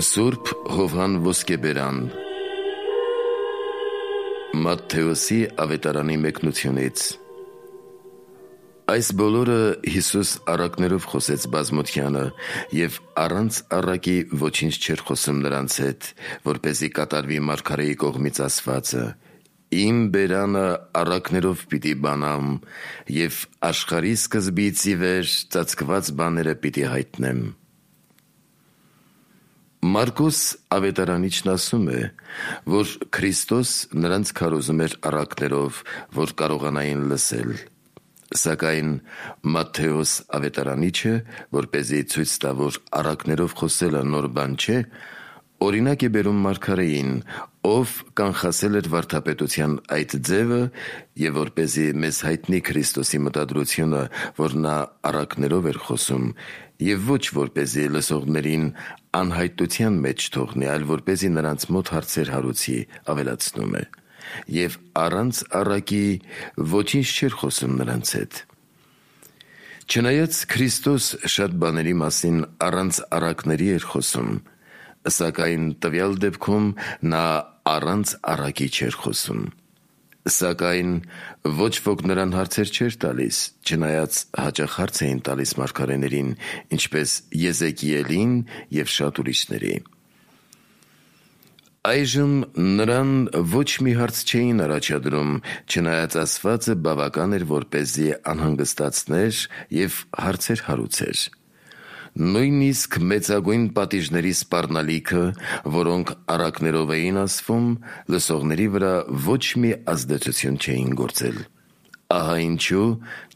Սուրբ Հովհան Ոսկեբերան Մատթեոսի ավետարանի մեկնությունից Այս բոլորը Հիսուս առակներով խոսեց բազմությանը և առանց առակի ոչինչ չէր խոսում նրանց հետ, որպեսզի կատարվի մարգարեի կողմից ասվածը. Իմ բերանը առակներով պիտի բանամ և աշխարհի սկզբից ի վեր ծածկված բաները պիտի հայտնեմ։ Մարկոս ավետարանիչն ասում է, որ Քրիստոս նրանց քարոզում էր առակներով, որ կարողանային լսել, սակայն Մատթեոս ավետարանիչը, որպեսզի ցույց տա, որ առակներով խոսելը նոր բան չէ, օրինակ է բերում մարգարեին, ով կանխասել էր վարդապետության այդ ձևը և որպեսզի մեզ հայտնի Քրիստոսի մտադրությունը, որ նա առակներով էր խոսում, և ոչ որպեսզի լսողներին անհայտության մեջ թողնի, այլ որպեսզի նրանց մոտ հարցեր հարուցի, ավելացնում է, և առանց առակի ոչինչ չէր խոսում նրանց հետ։ Չնայած Քրիստոս շատ բաների մասին առանց առակների էր խոսում, սակայն տվյալ դեպքում նա առանց առակի չէր խոսում։ Սակայն ոչ ոք նրան հարցեր չէր տալիս, չնայած հաճախ հարց էին տալիս մարգարեներին, ինչպես Եզեկիելին և շատ ուրիշների։ Այժմ նրան ոչ մի հարց չէին առաջադրում, չնայած ասվածը բավական էր, որպեսզի անհանգստացներ և հարցեր հարուցեր։ Նույնիսկ մեծագույն պատիժների սպառնալիքը, որոնք առակներով էին ասվում, լսողների վրա ոչ մի ազդեցություն չէին գործել։ Ահա ինչու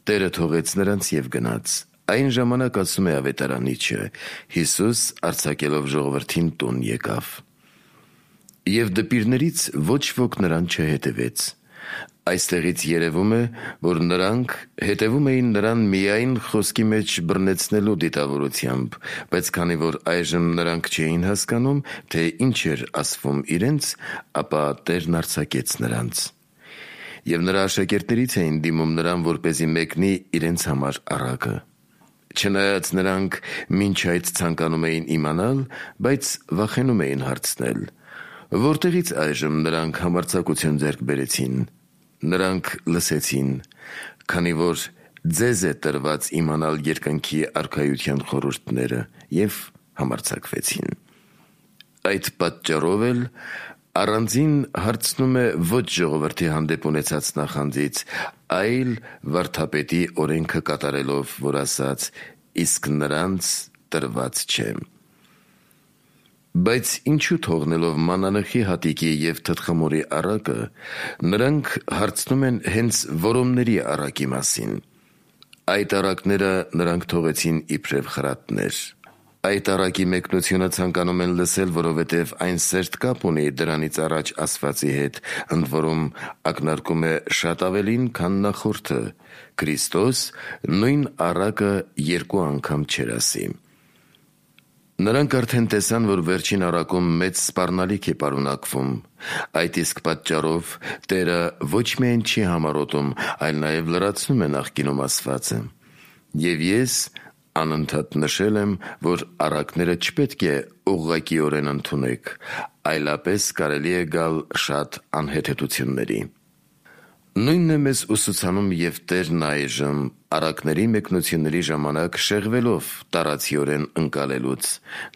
Տերը թողեց նրանց և գնաց։ Այն ժամանակ, ասում է ավետարանիչը, Հիսուս արձակելով ժողովրդին տուն եկավ։ Եվ դպիրներից ոչ ոք նրան չհետևեց։ Այստեղից երևում է, որ նրանք հետևում էին նրան միայն խոսքի մեջ բռնեցնելու դիտավորությամբ, բայց քանի որ այժմ նրանք չէին հասկանում, թե ինչ էր ասվում իրենց, ապա Տերն արձակեց նրանց։ Եվ նրա աշակերտներից էին դիմում նրան, որպեսզի մեկնի իրենց համար առակը։ Չնայած նրանք մինչ այդ ցանկանում էին իմանալ, բայց վախենում էին հարցնել. որտեղից այժմ նրանք համարձակություն ձեռք բերեցին։ Նրանք լսեցին, քանի որ ձեզ է տրված իմանալ երկնքի արքայության խորհուրդները, և համարձակվեցին։ Այդ պատճառով էլ առանձին հարցնում է ոչ ժողովրդի հանդեպ ունեցած նախանձից, այլ վարդապետի օրենքը կատարելով, որ ասաց. իսկ նրանց տրված չէ։ Բայց ինչու թողնելով մանանեխի հատիկի և թտխմորի առակը, նրանք հարցնում են հենց որոմների առակի մասին։ Այդ առակները նրանք թողեցին իբրև խրատներ։ Այդ առակի մեկնությունը ցանկանում են լսել, որովհետև այն սերտ կապ ունի դրանից առաջ ասվածի հետ, ընդ որում ակնարկում է շատ ավելին, քան նախորդը։ Քրիստոս նույն առակը երկու անգամ չէր ասի։ Նրանք արդեն տեսան, որ վերջին առակում մեծ սպառնալիք է պարունակվում։ Այդ իսկ պատճառով Տերը ոչ միայն չի համառոտում, այլ նաև լրացնում է նախկինում ասվածը։ Եվ ես անընդհատ նշել եմ, որ առակները չպետք է ուղղակիորեն ընդունեք, այլապես կարելի է գալ շատ անհեթեթությունների։ Նույնն է մեզ ուսուցանում և Տերն այժմ, առակների մեկնությունների ժամանակ շեղվելով տարածիորեն ընկալելուց։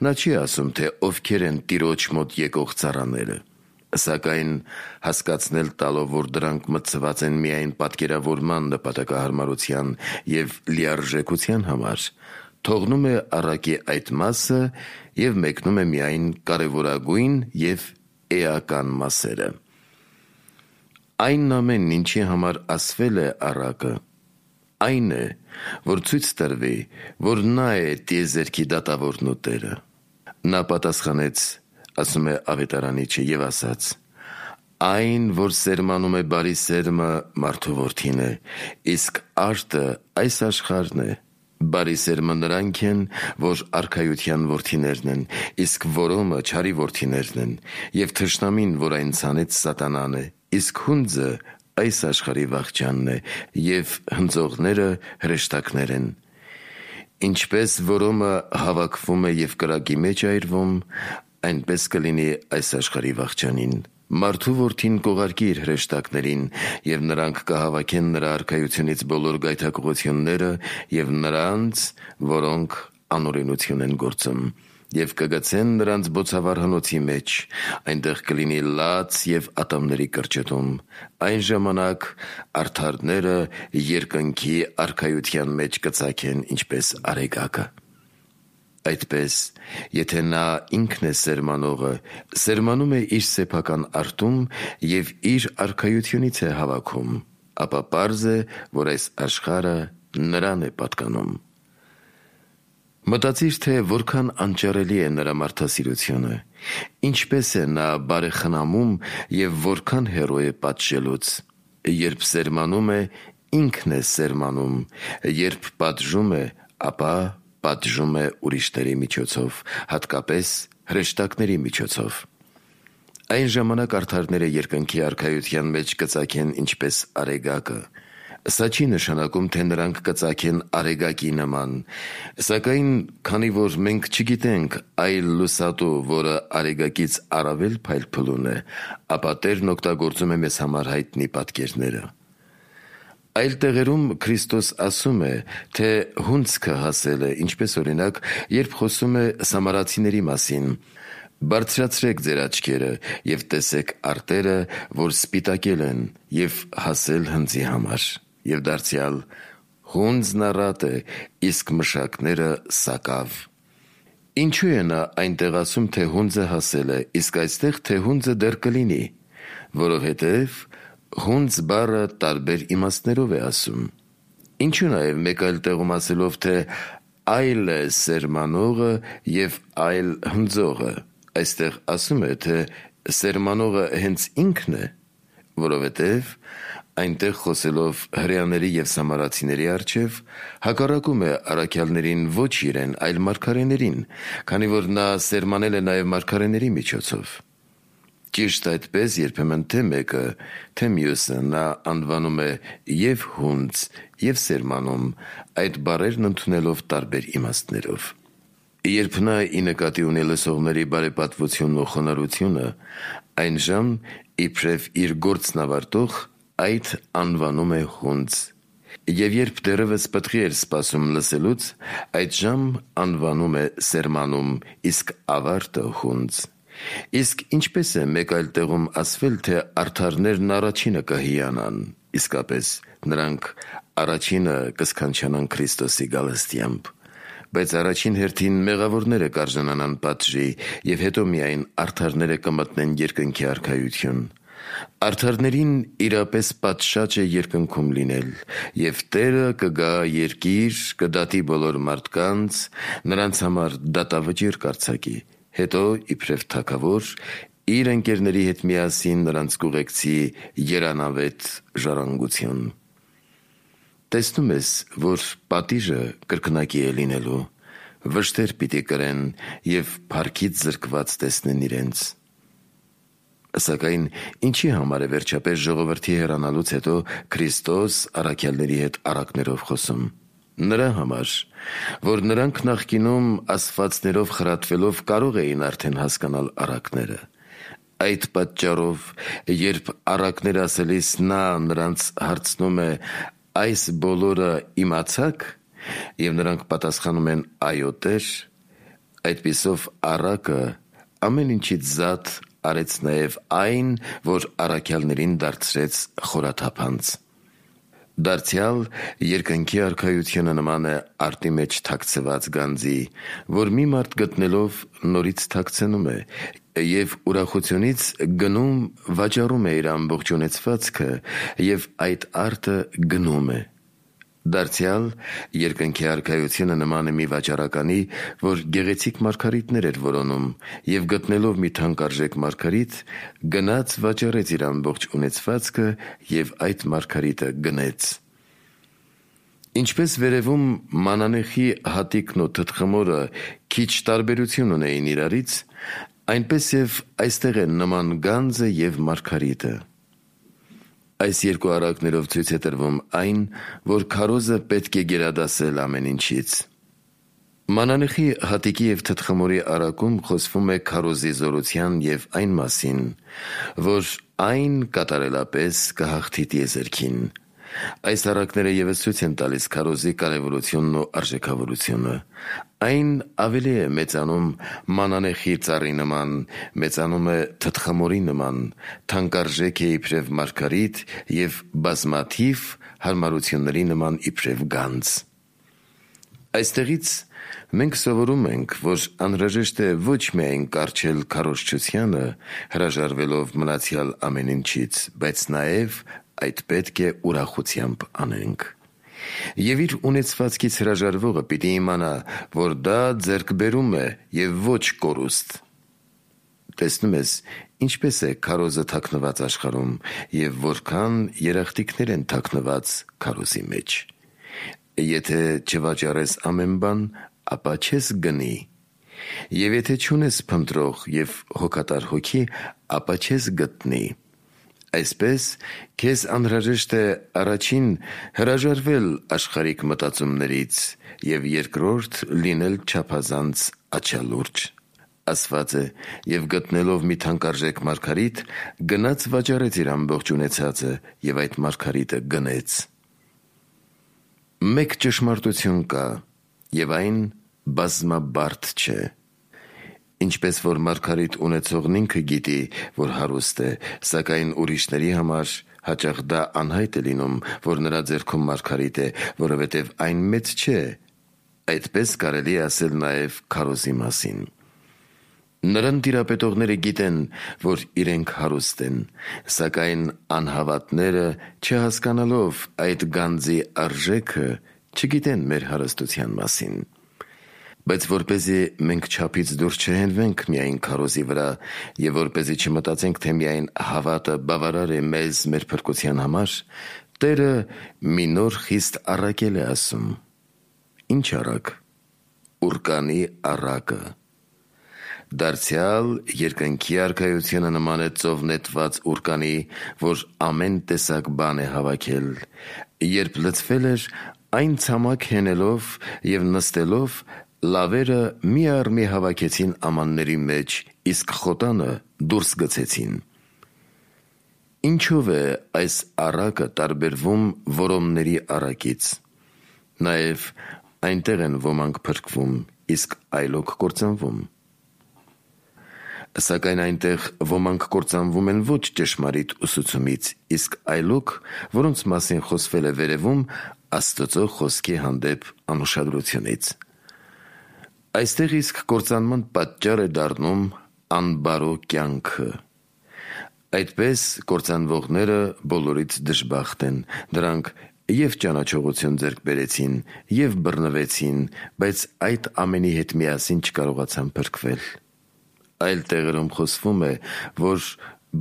Նա չի ասում, թե ովքեր են Տիրոջ մոտ եկող ծառաները, սակայն հասկացնել տալով, որ դրանք մտցված են միայն պատկերավորման նպատակահարմարության և լիարժեքության համար, թողնում է առակի այդ մասը և մեկնում է միայն կարևորագույն և էական մասերը։ Այն ամենն, ինչի համար ասվել է առակը, այն է, որ ցույց տրվի, որ նա է տիեզերքի դատավորն ու Տերը։ Նա պատասխանեց, ասում է ավետարանիչը, և ասաց. այն, որ սերմանում է բարի սերմը, մարդու որդին է, իսկ արտը այս աշխարհն է։ Բարի սերմը նրանք են, որ արքայության որդիներն են, իսկ որոմը չարի որդիներն են, և թշնամին, որ այն ցանեց, սատանան է, իսկ հունձը այս աշխարհի վախճանն է, և հնձողները հրեշտակներ են։ Ինչպես որոմը հավաքվում է և կրակի մեջ այրվում, այնպես կլինի այս աշխարհի վախճանին։ Մարդու որդին կողարկի իր հրեշտակներին, և նրանք կհավաքեն նրա արքայությունից բոլոր գայթակղությունները և նրանց, որոնք անօրենություն են գործում, և կգցեն նրանց բոցավառ հնոցի մեջ, այնտեղ կլինի լաց և ատամների կրճտում։ Այն ժամանակ արդարները երկնքի արքայության մեջ կծագեն ինչպես արեգակը։ Այդպես, եթե նա ինքն է սերմանողը, սերմանում է իր սեփական արթում և իր արքայությունից է հավաքում, ապա պարզ է, որ այս աշխարհը նրան է պատկանում։ Մտածիր, թե որքան անճարելի է նրա մարդասիրությունը, ինչպես է նա բարեխնամում և որքան հեռու է պատժելուց։ Երբ սերմանում է, ինքն է սերմանում, երբ պատժում է, ապա պատժում է ուրիշների միջոցով, հատկապես հրեշտակների միջոցով։ Այն ժամանակ արդարները երկնքի արքայության մեջ կծագեն ինչպես արեգակը։ Սա չի նշանակում, թե նրանք կծագեն արեգակի նման, սակայն քանի որ մենք չգիտենք այլ լուսատու, որը արեգակից առավել փայլփլուն է, ապա Տերն օգտագործում է մեզ համար հայտնի պատկերները։ Այլ տեղերում Քրիստոս ասում է, թե հունձքը հասել է, ինչպես օրինակ, երբ խոսում է սամարացիների մասին. «Բարձրացրեք ձեր աչքերը և տեսեք արտերը, որ սպիտակել են, և հասել հնձի համար»։ Եվ դարձյալ. «Հունձն առատ է, իսկ մշակները սակավ»։ Ինչու է նա այնտեղ ասում, թե հունձը հասել է, իսկ այստեղ, թե հունձը դեռ կլինի։ Որովհետև հունձ բառը տարբեր իմաստներով է ասում։ Ինչու նաև մեկ այլ տեղում ասելով, թե այլ է սերմանողը և այլ հնձողը, այստեղ ասում է, թե սերմանողը հենց ինքն է, որովհետև այնտեղ խոսելով հրեաների և սամարացիների առջև հակառակում է առաքյալներին ոչ իրեն, այլ մարգարեներին, քանի որ նա սերմանել է նաև մարգարեների միջոցով։ Ճիշտ այդպես երբեմն թե մեկը, թե մյուսը նա անվանում է և հունձ, և սերմանում, այդ բառերն ընդունելով տարբեր իմաստներով։ Երբ նա ի նկատի ունի լսողների բարեպատվությունն ու խոնարհությունը, այնժամ իբրև իր գործն ավարտող այդ անվանում է հունձ, և երբ դեռևս պտղի էր սպասում լսելուց, այդժամ անվանում է սերմանում, իսկ ավարտը հունձ։ Իսկ ինչպես է մեկ այլ տեղում ասվել, թե արդարներն առաջինը կհիանան, իսկապես նրանք առաջինը կսքանչանան Քրիստոսի գալստյամբ, բայց առաջին հերթին մեղավորները կարժանանան պատժի, և հետո միայն արդարները կմտնեն երկնքի արքայություն։ Արդարներին իրապես պատշաճ է երկնքում լինել, և Տերը կգա երկիր, կդատի բոլոր մարդկանց, նրանց համար դատավճիռ կարձակի, հետո իբրև թագավոր իր ընկերների հետ միասին նրանց կուղեկցի երանավետ ժառանգություն։ Տեսնում ես, որ պատիժը կրկնակի է լինելու, վշտեր պիտի կրեն և փառքից զրկված տեսնեն իրենց։ Սակայն ինչի համար է վերջապես ժողովրդի հեռանալուց հետո Քրիստոս առաքյալների հետ առակներով խոսում։ Նրա համար, որ նրանք նախկինում ասվածներով խրատվելով կարող էին արդեն հասկանալ առակները։ Այդ պատճառով, երբ առակներ ասելիս նա նրանց հարցնում է. «Այս բոլորը իմացա՞ք»։ Եվ նրանք պատասխանում են. «Այո, Տեր», այդպիսով առակը ամեն ինչից զատ արեց նաև այն, որ առաքյալներին դարձրեց խորաթափանց։ Դարձյալ երկնքի արքայությունը նման է արտի մեջ թաքցված գանձի, որ մի մարդ գտնելով նորից թաքցնում է, և ուրախությունից գնում վաճառում է իր ամբողջ ունեցվածքը, և այդ արտը գնում է։ Դարձյալ երկնքի արքայությունը նման է մի վաճառականի, որ գեղեցիկ մարգարիտներ էր որոնում, և գտնելով մի թանկարժեք մարգարիտ, գնաց վաճառեց իր ամբողջ ունեցվածքը և այդ մարգարիտը գնեց։ Ինչպես վերևում մանանեխի հատիկն ու թտխմորը քիչ տարբերություն ունեին իրարից, այնպես և այստեղ է նման գանձը և մարգարիտը։ Այս երկու առակներով ցույց է տրվում այն, որ քարոզը պետք է գերադասել ամեն ինչից։ Մանանեխի հատիկի և թթխմորի առակում խոսվում է քարոզի զորության և այն մասին, որ այն կատարելապես կհաղթի տիեզերքին։ Այս առակները ևս ցույց են տալիս քարոզի կարևորությունն ու արժեքավորությունը։ Այն ավելի է մեծանում մանանեխի ծառի նման, մեծանում է թթխմորի նման, թանկարժեք է իբրև մարգարիտ և բազմաթիվ հարմարությունների նման իբրև գանձ։ Այստեղից մենք սովորում ենք, որ անհրաժեշտ է ոչ միայն կառչել քարոզչությանը, հրաժարվելով մնացյալ ամեն ինչից, բայց նաև այդ պետք է ուրախությամբ անենք։ Եվ իր ունեցվածքից հրաժարվողը պիտի իմանա, որ դա ձեռքբերում է և ոչ կորուստ։ Տեսնում ես, ինչպես է քարոզը թաքնված աշխարհում և որքան երախտիկներ են թաքնված քարոզի մեջ։ Եթե չվաճառես ամեն բան, ապա չես գնի, և եթե չունես փնտրող և հոգատար հոգի, ապա չես գտնի։ Այսպես, քեզ անհրաժեշտ է առաջին հրաժարվել աշխարհիկ մտածումներից և երկրորդ լինել չափազանց աչալուրջ։ Ասված է. «Եվ գտնելով մի թանկարժեք մարգարիտ, գնաց վաճառեց իր ամբողջ ունեցածը և այդ մարգարիտը գնեց»։ Մեկ ճշմարտություն կա, և այն բազմաբարդ չէ։ Ինչպես որ մարգարիտ ունեցողն ինքը գիտի, որ հարուստ է, սակայն ուրիշների համար հաճախ դա անհայտ է լինում, որ նրա ձեռքում մարգարիտ է, որովհետև այն մեծ չէ, այդպես կարելի է ասել նաև քարոզի մասին։ Նրան տիրապետողները գիտեն, որ իրենք հարուստ են, սակայն անհավատները, չհասկանալով այդ գանձի արժեքը, չգիտեն մեր հարստության մասին։ Բայց որպեսզի մենք չափից դուրս չհենվենք միայն քարոզի վրա, և որպեսզի չմտածենք, թե միայն հավատը բավարար է մեզ մեր փրկության համար, Տերը մի նոր խիստ առակ է ասում։ Ինչ առակ։ Ուռկանի առակը։ Դարձյալ երկնքի արքայությունը նման է ծով նետված ուռկանի, որ ամեն տեսակ բան է հավաքել։ Երբ լցվել էր, այն ցամաք հենելով և նստելով, լավերը մի առ մի հավաքեցին ամանների մեջ, իսկ խոտանը դուրս գցեցին։ Ինչով է այս առակը տարբերվում որոմների առակից։ Նաև այնտեղ են ոմանք փրկվում, իսկ այլոք կործանվում։ Սակայն այնտեղ ոմանք կործանվում են ոչ ճշմարիտ ուսուցումից, իսկ այլոք, որոնց մասին խոսվել է վերևում, Աստծո խոսքի հանդեպ անուշադրությունից։ Այստեղ իսկ կործանման պատճառ է դառնում անբարո կյանքը։ Այդպես կործանվողները բոլորից դժբախտ են։ Նրանք և ճանաչողություն ձեռք բերեցին, և բռնվեցին, բայց այդ ամենի հետ միասին չկարողացան փրկվել։ Այլ տեղերում խոսվում է, որ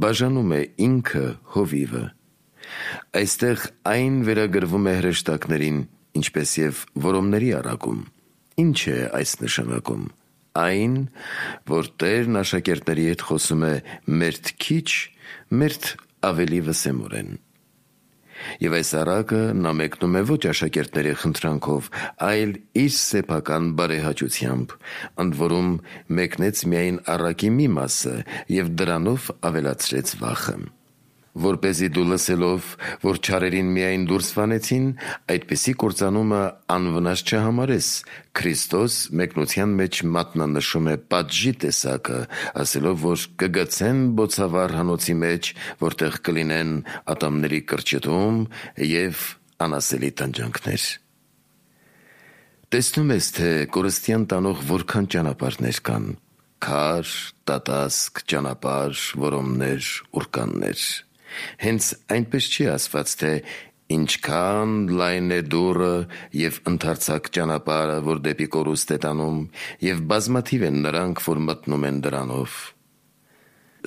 բաժանում է ինքը հովիվը։ Այստեղ այն վերագրվում է հրեշտակներին, ինչպես և որոմների առակում։ Ինչ է այս նշանակում։ Այն, որ Տերն աշակերտների հետ խոսում է մերթ քիչ, մերթ ավելի վսեմորեն։ Եվ այս առակը նա մեկնում է ոչ աշակերտների խնդրանքով, այլ իր սեփական բարեհաճությամբ, ընդ որում մեկնեց միայն առակի մի մասը և դրանով ավելացրեց վախը։ Որպեսզի դու լսելով, որ չարերին միայն դուրս վանեցին, այդպիսի կործանումը անվնաս չհամարես, Քրիստոս մեկնության մեջ մատնանշում է պատժի տեսակը, ասելով, որ կգցեն բոցավառ հանոցի մեջ, որտեղ կլինեն ատամների կրճտում և անասելի տանջանքներ։ Տեսնում ես, թե կորստյան տանող որքան ճանապարհներ կան. քար, տատասկ, ճանապարհ, որոմներ, ուռկաններ։ Հենց այնպես չի ասված, թե ինչքան լայն է դուռը և ընդարձակ ճանապարհը, որ դեպի կորուստ է տանում, և բազմաթիվ են նրանք, որ մտնում են դրանով։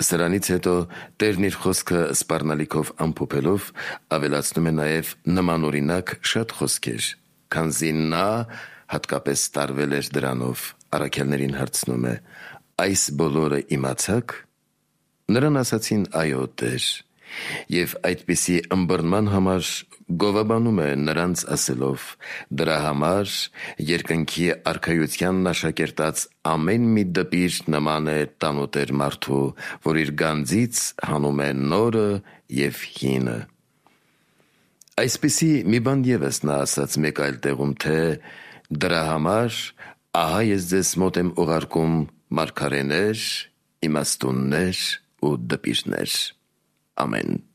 Սրանից հետո Տերն իր խոսքը սպառնալիքով ամփոփելով ավելացնում է նաև նմանօրինակ շատ խոսքեր, քանզի նա հատկապես տարվել էր դրանով, առաքյալներին հարցնում է. «Այս բոլորը իմացա՞ք»։ Նրան ասացին. «Այո, Տեր»։ Եվ այդպիսի ըմբռնման համար գովաբանում է նրանց ասելով. «Դրա համար երկնքի արքայությանն աշակերտած ամեն մի դպիր նման է տանուտեր մարդու, որ իր գանձից հանում է նորը և հինը»։ Այսպիսի մի բան ևս նա ասաց մեկ այլ տեղում, թե «Դրա համար ահա ես ձեզ մոտ եմ ուղարկում մարգարեներ, իմաստուններ ու դպիրներ»։ Ամեն։